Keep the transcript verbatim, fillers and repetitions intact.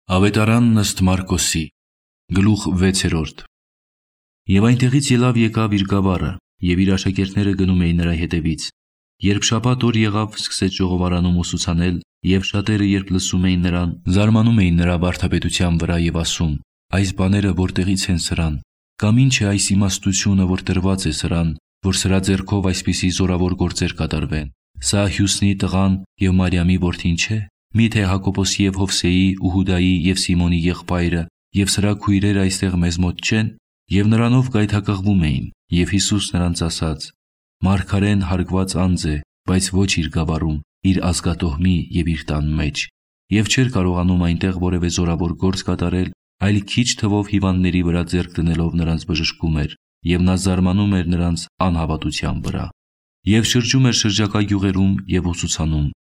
Ավետարանն ըստ Մարկոսի, գլուխ վեցերորդ։ Եվ այնտեղից ելավ եկավ իր գավառը, և իր աշակերտները գնում էին նրա հետևից։ Երբ շաբաթ օր եղավ, սկսեց ժողովարանում ուսուցանել, և շատերը, երբ լսում էին նրան, զարմանում էին նրա վարդապետության վրա և ասում. այս բաները որտեղից են սրան, կամ ինչ է այս իմաստությունը, որ տրված է սրան, որ սրա ձեռքով այսպիսի զորավոր գործեր կատարվեն։ Սա Հյուսնի տղան և Մարիամի որդին չէ՞։ Միթե Հակոբոսի և Հովսեի ու Հուդայի և Սիմոնի եղբայրը և սրա քույրերը այստեղ մեզ մոտ չեն։ Եվ նրանով գայթակղվում էին։ Եվ Հիսուս նրանց ասաց. մարգարեն հարգված անձ է, բայց ոչ իր գավառում, իր ազգատոհմի և իր տան մեջ։ Եվ չէր կարողանում այնտեղ որևէ զորավոր գործ կատարել, այլ քիչ թվով հիվանդների վրա ձեռք դնելով նրանց բժշկում էր, և նա զարմանում էր նրանց անհավատության վրա։ Եվ շրջում էր շրջակա գյուղերում և ուսուցանում։